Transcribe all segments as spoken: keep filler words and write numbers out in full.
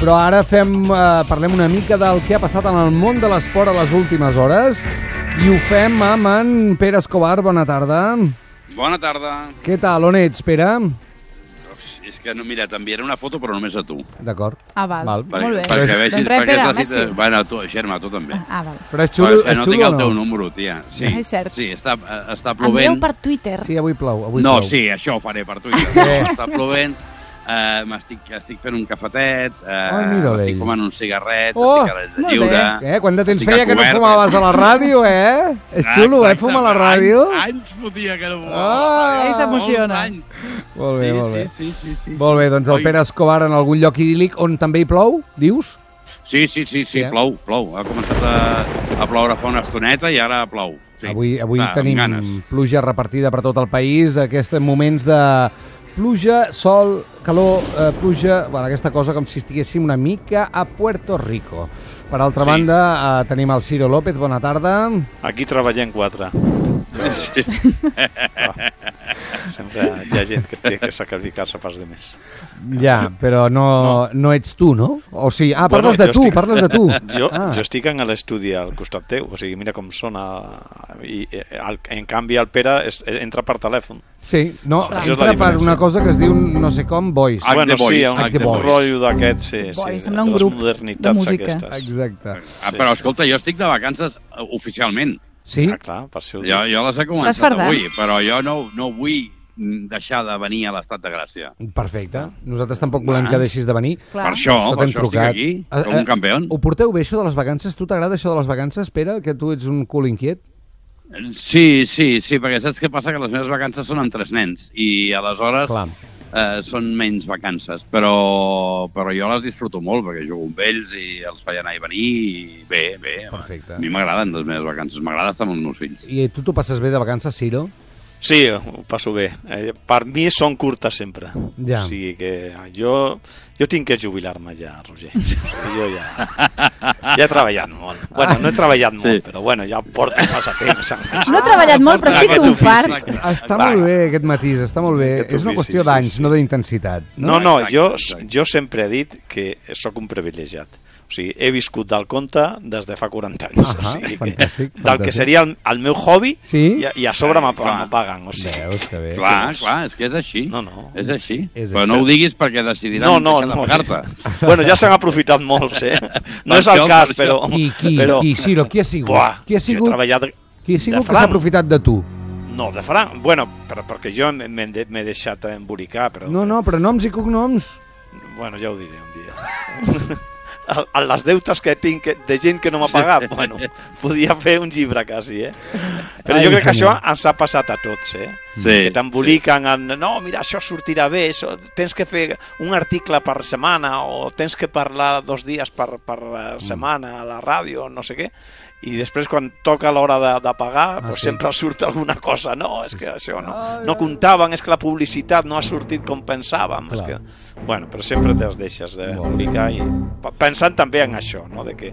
Però ara fem, eh, parlem una mica del que ha passat en el món de l'esport a les últimes hores i ho fem amb en Pere Escobar. Bona tarda. Bona tarda. Què tal? On ets, Pere? És que, no, mira, t'enviaré una foto, però només a tu. D'acord. Ah, val. val. Perquè, Molt bé. perquè vegis, doncs res, Pere, merci. Bueno, tu, Xerma, tu també. Ah, val. Però és xulo, és és no xulo tinc o el no? teu número, tia. Sí, Ah, és cert. sí, està, està Envieu plovent. per Twitter. Sí, avui plou. Avui No, plou. sí, això ho faré per Twitter. Sí. Està plovent, eh, m'estic estic fent un cafetet, eh, Ai, mira estic ell. fumant un cigarret, Oh, estic a l'aire molt lliure. Eh, quant de temps Estic feia que no cobert, fumaves a la ràdio, eh? És xulo, eh, fumar a la ràdio? Anys, anys fotia que no fumava. Ah, ell s'emociona. Molts anys. Molt bé, Sí, molt bé. Sí, sí, sí, sí, Molt bé, doncs el Oi. Pere Escobar en algun lloc idíl·lic on també hi plou, dius? Sí, sí, sí, sí, Sí, eh? plou, plou. Ha començat a, a ploure fa una estoneta i ara plou. Sí. Avui, avui Va, amb tenim ganes. pluja repartida per tot el país, aquests moments de pluja, sol, calor, eh, pluja, bueno, aquesta cosa com si estiguéssim una mica a Puerto Rico. Per altra Sí. banda, eh, tenim el Ciro López, bona tarda. Aquí treballem quatre. Sí. Sempre hi ha gent que té que sacrificar-se pels demés. Ja, però no, no. no ets tu, no? O sigui, ah, parles Bueno, de jo tu, estic- parles de tu. Jo, ah. jo estic en l'estudi al costat teu, o sigui, mira com sona. I, eh, el, en canvi, el Pere es, entra per telèfon. Sí, no, Això és la entra per diferència. una cosa que es diu no sé com, Voice. Act bueno, the Voice, sí, un, Act the un Voice. rotllo d'aquest, sí, Voice, sí. sembla un de les grup de modernitats música. aquestes. Exacte. Ah, però escolta, jo estic de vacances eh, oficialment. Sí? Ah, clar, per això ho Jo, dic. jo les he Estàs començat fardat? avui, però jo no, no vull mm, deixar de venir a l'estat de Gràcia. Perfecte. Nosaltres tampoc volem Ah. que deixis de venir. Clar. Per això, per t'hem això estic aquí, Eh, com eh, un campió. Ho porteu bé, això de les vacances? Tu t'agrada això de les vacances, Pere? Que tu ets un cul inquiet? Sí, sí, sí, perquè saps què passa? Que les meves vacances són amb tres nens i aleshores Clar. eh, són menys vacances, però, però jo les disfruto molt perquè jugo amb ells i els faig anar i venir i bé, bé. Perfecte. A mi m'agraden les meves vacances, m'agrada estar amb els meus fills. I tu t'ho passes bé de vacances, Ciro? Sí, ho passo bé. Eh, per mi són curtes sempre. Ja. O sigui que jo, jo tinc que jubilar-me ja, Roger. O sigui, jo ja, ja he treballat molt. Bueno, no he treballat molt, Sí. però bueno, ja porto massa temps. amb això. No he treballat molt, però estic Aquest un ofici. fart. Està Va. molt bé aquest matís, està molt bé. Aquest És una ofici, qüestió sí, d'anys, sí. no d'intensitat. No, no, Exacte, jo, exacte. jo sempre he dit que sóc un privilegiat. O sigui, he viscut del conte des de fa quaranta anys. Ahà, o sigui que, fantàstic, del fantàstic. que seria el, el meu hobby Sí? i, a- i a sobre me, Clar. me paguen. O sigui, Veus que bé. Clar, és? clar, és que és així. No, no. És així. És però això. no ho diguis perquè decidiran no, no, deixar de no. pagar-te. Bueno, ja s'han aprofitat molts, eh? No Per és el això, cas, per però... això. Qui, qui, però... qui, Ciro, qui ha sigut? Buah, qui ha jo he sigut, treballat... qui ha sigut de que s'ha franc. aprofitat de tu? No, de franc. Bueno, però perquè jo m'he de- m'he deixat embolicar, però... No, no, però noms i cognoms. Bueno, ja ho diré un dia. A, a les deutes que tinc que- de gent que no m'ha pagat, bueno, podia fer un llibre quasi, eh? Però Ai, jo crec que senyor. això ens ha passat a tots, eh? Sí, Que t'emboliquen en, no, mira, això sortirà bé, això, tens que fer un article per setmana o tens que parlar dos dies per, per eh, setmana a la ràdio, no sé què, i després quan toca l'hora de, de pagar, Ah, doncs sí. sempre surt alguna cosa, no, és que això no, no comptaven, és que la publicitat no ha sortit com pensàvem, és Clar. que... Bueno, però sempre te'ls deixes d'embolicar i pa- pensant també en això, no? de que,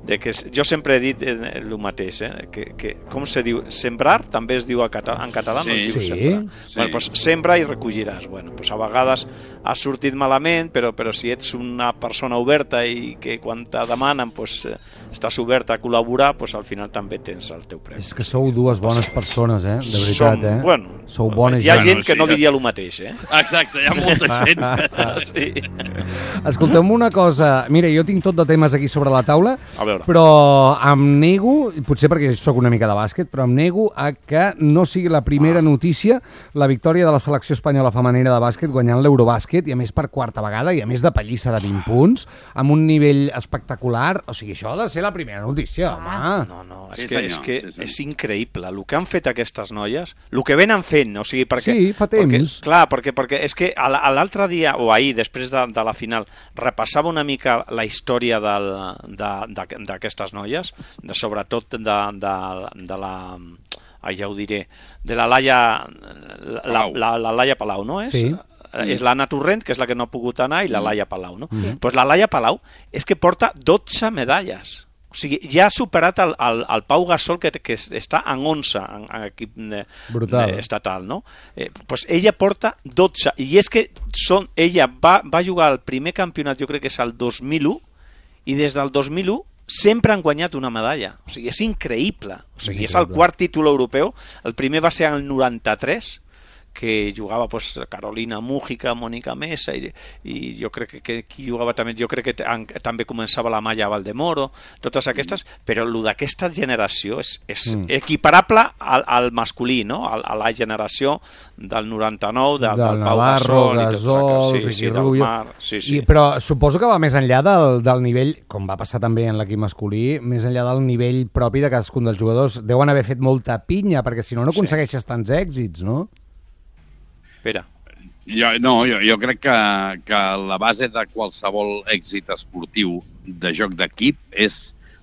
de que s- jo sempre he dit eh, el mateix, eh? que, que com se diu, sembrar també es diu a cata en català, no Sí. es diu Sí. sembrar. Sí. Bueno, doncs sembra i recolliràs. Bueno, doncs a vegades ha sortit malament, però, però si ets una persona oberta i que quan te demanen doncs, eh, estàs oberta a col·laborar, doncs al final també tens el teu premi. És que sou dues bones persones, eh? De veritat, Som, eh? bueno, Sou bones hi ha gent. gent Bueno, que sí, no ja- diria el mateix, eh? Exacte, hi ha molta gent. Sí. Escolteu-me una cosa. Mira, jo tinc tot de temes aquí sobre la taula, A veure. però em nego, potser perquè sóc una mica de bàsquet, però em nego a que no sigui la primera Ah. notícia la victòria de la selecció espanyola femenina de bàsquet guanyant l'Eurobàsquet, i a més per quarta vegada, i a més de pallissa de vint punts, amb un nivell espectacular. O sigui, això ha de ser la primera notícia, home. No, no, és Sí, que, senyor, és, que sí, senyor. és increïble el que han fet aquestes noies, el que venen fent, o sigui, perquè... Sí, fa temps. Perquè, clar, perquè, perquè és que a la- a l'altre dia, o ahir, després de, de la final, repassava una mica la història del- de- de- d'aquestes noies, de, sobretot de, de, de la... Ah, ja ho diré, de la Laia, la, Palau. la, la Laia Palau, no és? Sí. Eh, És l'Anna Torrent, que és la que no ha pogut anar, i la Laia Palau, no? Sí. Pues la Laia Palau és que porta dotze medalles. O sigui, ja ha superat el, el, el Pau Gasol, que, que està en onze en, en equip de, de estatal, no? Eh, pues ella porta dotze, i és que són, ella va, va jugar al primer campionat, jo crec que és el dos mil u, i des del dos mil u sempre han guanyat una medalla. O sigui, és increïble. O sigui, és, és el quart títol europeu. El primer va ser el noranta-tres, que jugava pues, Carolina Mújica, Mònica Mesa, i, i jo crec que, que qui jugava també, jo crec que t- en, també començava la Maya Valdemoro, totes aquestes, però el d'aquesta generació és, és mm. equiparable al, al masculí, no? A, a la generació del noranta-nou, de, del, del Pau Navarro, Gasol, Gasol, sí, sí, del Mar, sí, sí. I, però suposo que va més enllà del, del nivell, com va passar també en l'equip masculí, més enllà del nivell propi de cadascun dels jugadors. Deuen haver fet molta pinya, perquè si no, no aconsegueixes sí. tants èxits, no? Espera. Jo, no, jo, jo crec que, que la base de qualsevol èxit esportiu de joc d'equip és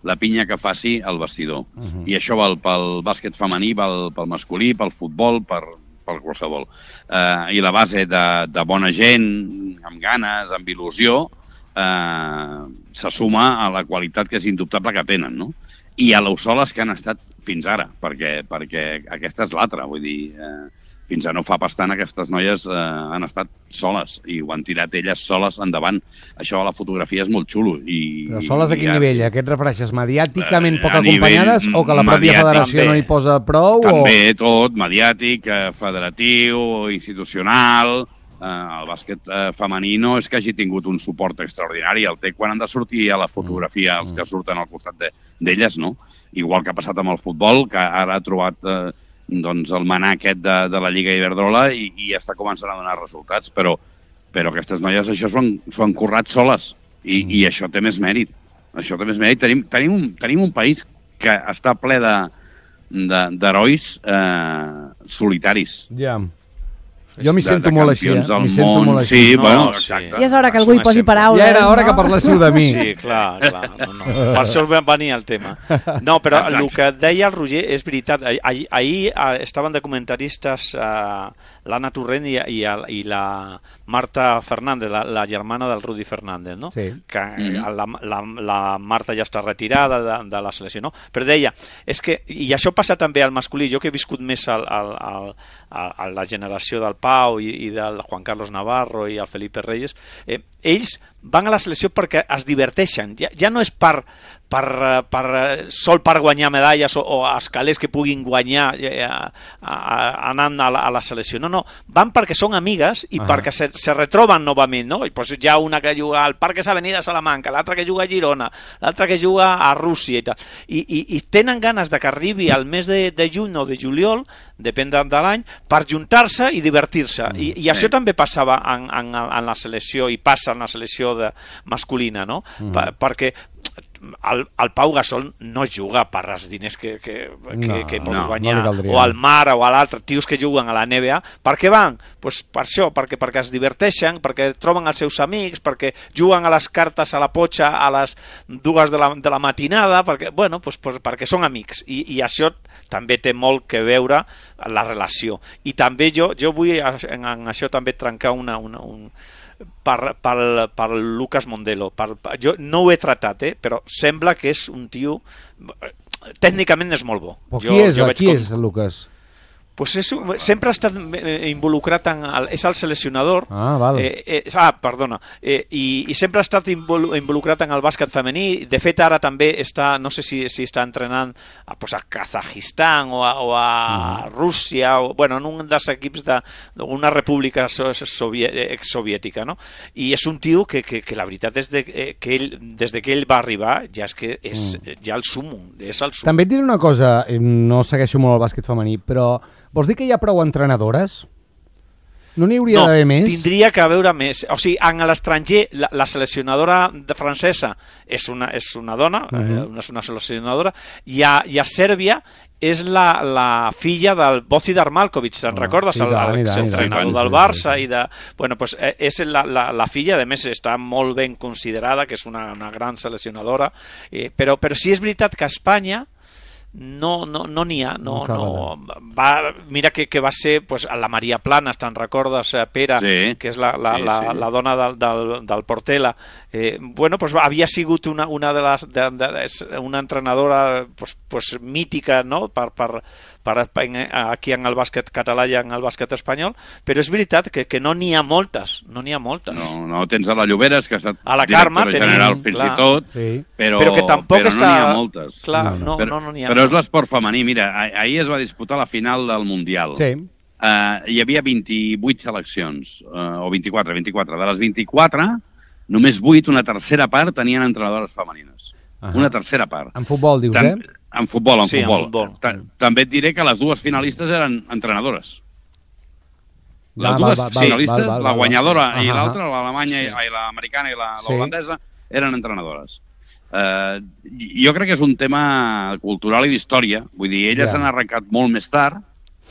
la pinya que faci el vestidor. Uh-huh. I això val pel bàsquet femení, val pel masculí, pel futbol, per, per qualsevol. Uh, I la base de, de bona gent, amb ganes, amb il·lusió, uh, se suma a la qualitat que és indubtable que tenen, no? I a l'Ausoles que han estat fins ara, perquè, perquè aquesta és l'altra, vull dir... Uh, fins a no fa bastant aquestes noies eh, han estat soles i ho han tirat elles soles endavant. Això a la fotografia és molt xulo. I, Però soles a quin i, nivell? A què et refereixes? Mediàticament eh, poc acompanyades o que la pròpia federació també, no hi posa prou? També o... tot, mediàtic, eh, federatiu, institucional... Eh, el bàsquet eh, femení no és que hagi tingut un suport extraordinari, el té quan han de sortir a la fotografia els que surten al costat d'elles, de, no? Igual que ha passat amb el futbol, que ara ha trobat... Eh, doncs el manà aquest de, de la Lliga Iberdrola i, i ja està començant a donar resultats, però, però aquestes noies això s'ho han, han currat soles i, mm. i això té més mèrit. Això té més mèrit. Tenim, tenim, un, tenim un país que està ple de, de, d'herois eh, solitaris. Ja. Jo m'hi sento molt així, eh? M'hi sento molt així. Sí, no, bueno, sí. exacte. I és hora que algú hi posi paraules, Ja era hora no? que parléssiu de mi. Sí, clar, clar. No, no. Per això venia el tema. No, però exacte. El que deia el Roger és veritat. Ahir, ahir estaven de comentaristes uh, l'Anna Torrent i, i, i la Marta Fernández, la, la germana del Rudi Fernández, no? Sí. Que mm-hmm. la, la, la Marta ja està retirada de, de la selecció, no? Però deia, és que, i això passa també al masculí, jo que he viscut més al, al, al, a la generació del Pau i, i del Juan Carlos Navarro i el Felipe Reyes, eh, ells van a la selecció perquè es diverteixen, ja, ja no és per, per, per, sol per guanyar medalles o, o els calés que puguin guanyar eh, a, a, anant a la, a la selecció, no, no, van perquè són amigues i uh-huh. perquè se, se retroben novament, no? I pues hi ha una que juga al Parques Avenida Salamanca, l'altra que juga a Girona, l'altra que juga a Rússia i tal, i, i, i tenen ganes de que arribi al mes de, de juny o de juliol, depèn de, de l'any, per juntar-se i divertir-se, uh-huh. I, i això sí. també passava en, en, en la selecció i passa en la selecció de masculina, no? Uh-huh. Per, perquè el, el Pau Gasol no juga per els diners que, que, que, no, que pot no, guanyar, no o al Mar o a l'altre, tios que juguen a la N B A. Per què van? Pues per això, perquè, perquè es diverteixen, perquè troben els seus amics, perquè juguen a les cartes a la potxa a les dues de la, de la matinada, perquè, bueno, pues, pues, perquè són amics. I, I això també té molt que veure la relació. I també jo, jo vull en, en això també trencar una... una un, per, per, per Lucas Mondelo. Per, per, jo no ho he tratat, eh, però sembla que és un tio... Tècnicament és molt bo. Però qui és, jo qui com... és Lucas? Pues és, sempre ha estat involucrat en el, és el seleccionador ah, val. eh, eh, ah, perdona eh, i, i sempre ha estat involucrat en el bàsquet femení. De fet ara també està, no sé si, si està entrenant a, pues, a Kazajistan o a, o a mm. Rússia o, bueno, en un dels equips d'una república exsoviètica, no? I és un tio que, que, que la veritat és de, eh, que ell, des de que ell va arribar ja és que és mm. ja el sumum, és el sumum. També et diré una cosa, no segueixo molt el bàsquet femení, però vols dir que hi ha prou entrenadores? No n'hi hauria no, d'haver més? Tindria que haver més. O sigui, en l'estranger, la, la seleccionadora de francesa és una, és una dona, uh -huh. eh, és una seleccionadora, i a, i a Sèrbia és la, la filla del Bozidar Maljkovic, te'n oh, recordes? El, el, el entrenador del Barça i de... Bueno, pues és la, la, la filla, a més està molt ben considerada, que és una, una gran seleccionadora, eh, però, però sí és veritat que a Espanya no no no n'hi ha, no, No no, va, mira que, que va ser pues, la Maria Planas, te'n recordes, Pere, Sí. que és la, la, Sí, la, sí. la dona del, del, del Portela, eh, bueno, pues, havia sigut una, una de les de, de, de, una entrenadora pues, pues, mítica, no?, per, per, per, aquí en el bàsquet català i en el bàsquet espanyol, però és veritat que, que no n'hi ha moltes, no n'hi ha moltes. No, no, tens a la Lloberes, que ha estat A la Carme directora tenim, general fins clar. i tot, Sí. però, Però que tampoc però està- no n'hi ha moltes. Clar, No, no, però, no, no n'hi ha. però és l'esport femení. Mira, ah- ahir es va disputar la final del Mundial. Sí. Uh, hi havia vint-i-vuit seleccions, uh, o vint-i-quatre, vint-i-quatre. De les vint-i-quatre, només vuit, una tercera part, tenien entrenadores femenines. Ahà. Una tercera part. En futbol, dius, Tam- eh? En futbol, en Sí, en futbol. futbol. Ta- També et diré que les dues finalistes eren entrenadores. Les Va, dues va, va, val, finalistes, val, val, la val. guanyadora i Ahà, l'altra, l'alemanya Sí. i i l'americana i la- Sí. l'holandesa, eren entrenadores. Uh, jo crec que és un tema cultural i d'història. Vull dir, elles Ja. s'han arrencat molt més tard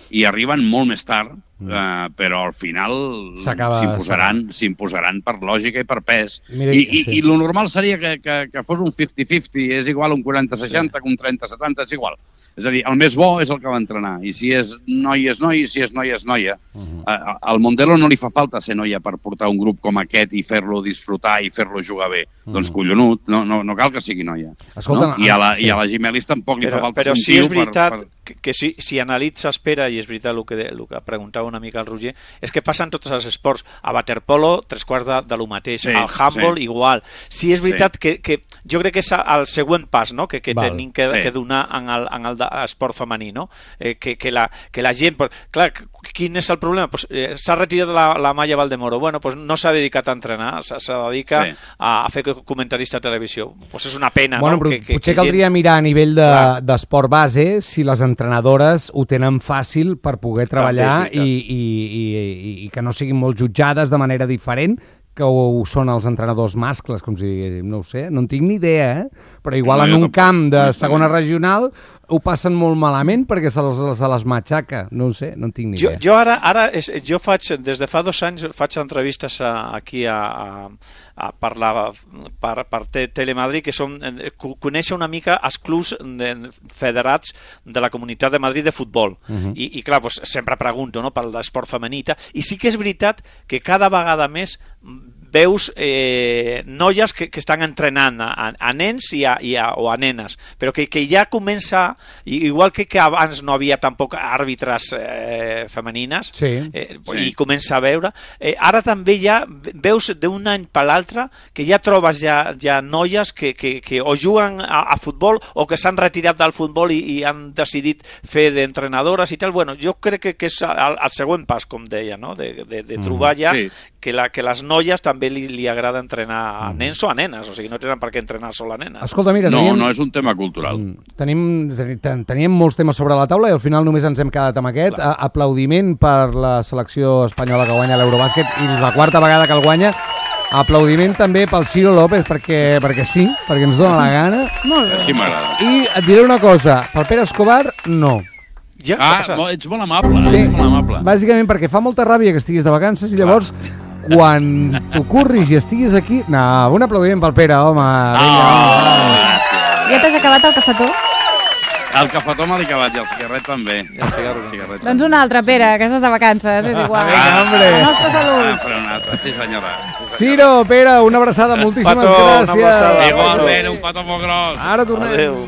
i arriben molt més tard, uh, però al final S'acaba- s'imposaran s'imposaran per lògica i per pes. Mira, I, i, sí. i lo normal seria que, que, que fos un cinquanta cinquanta, és igual un quaranta seixanta que un trenta setanta, és igual. És a dir, el més bo és el que va entrenar, i si és noi és noi, i si és noia és noia. Uh -huh. A- Al Mondelo no li fa falta ser noia per portar un grup com aquest i fer-lo disfrutar i fer-lo jugar bé. Mm. Doncs collonut, no, no, no cal que sigui noia. Escolta, no? I, a la, sí. I a la Gimelis tampoc li fa Però, falta però ser un sí és tio veritat per, per... que, que si, si analitzes, Pere, i és veritat el que, de, el que preguntava una mica el Roger, és que passa en tots els esports. A waterpolo, tres quarts de, de lo mateix. Sí, Al handball, sí. igual. Sí és veritat sí. que, que jo crec que és el següent pas, no?, que, que Val. tenim que, Sí. que donar en el, en el de- esport femení, no? Eh, que, que, la, que la gent... Pues, clar, quin és el problema? Pues, eh, s'ha retirat la, la Maya Valdemoro. Bueno, pues no s'ha dedicat a entrenar, se, se dedica Sí. a, a fer comentarista a televisió. Pues és una pena, Bueno, no? però que, que, potser que caldria mirar a nivell de- Clar. d'esport base si les entrenadores ho tenen fàcil per poder treballar També és i, i, i, i que no siguin molt jutjades de manera diferent que ho són els entrenadors mascles, com si diguéssim, no ho sé, no en tinc ni idea, eh? Però igual No, en jo un tampoc, camp de honestament. segona regional ho passen molt malament perquè se les, se les matxaca, no ho sé, no en tinc ni Jo, idea. jo ara, ara és, jo faig, des de fa dos anys, faig entrevistes a, aquí a, a, a per, la, per, per Te- Telemadrid, que són, eh, co- conèixer una mica els clubs de, federats de la Comunitat de Madrid de futbol. Uh -huh. I, I clar, doncs, sempre pregunto, no?, per l'esport femení i tal. I sí que és veritat que cada vegada més veus eh, noies que, que estan entrenant a, a nens i a, i a, o a nenes, però que, que ja comença, i- igual que, que abans no havia tampoc àrbitres eh, femenines, Sí. eh, Sí. i comença a veure, eh, ara també ja veus d'un any per l'altre que ja trobes ja, ja noies que, que, que o juguen a, a futbol o que s'han retirat del futbol i, i han decidit fer d'entrenadores i tal. Bueno, jo crec que, que és el, el següent pas, com deia, no?, de, de, de trobar ja Sí. que, la, que les noies també li, li agrada entrenar a nens o a nenes, o sigui, no tenen per què entrenar sol a nenes. Escolta, mira, No, teníem, no és un tema cultural. Mm, tenim, teni- ten- teníem molts temes sobre la taula i al final només ens hem quedat amb aquest. A, aplaudiment per la selecció espanyola que guanya l'Eurobàsquet i la quarta vegada que el guanya. Aplaudiment també pel Ciro López perquè, perquè sí, perquè ens dona la gana. Molt bé. Així m'agrada. I et diré una cosa, pel Pere Escobar, no. Ja, què Ah, passa? mo- ets molt amable, Sí, ets molt amable. bàsicament perquè fa molta ràbia que estiguis de vacances i llavors quan t'ho curris i estiguis aquí... No, un aplaudiment pel Pere, home. Vinga, Ah, Ja t'has acabat el cafetó? el cafetó me l'he acabat i el cigarret també. I el cigarro. El cigarret Doncs un altre, Pere, que estàs de vacances, és igual. Vinga, hombre. La nostra Ah, salut. faré un altre. Sí, senyora. Sí, senyora. Ciro, Pere, una abraçada, moltíssimes Petó, una gràcies. abraçada. Igualment, un petó molt gros. Ara tornem. Adéu.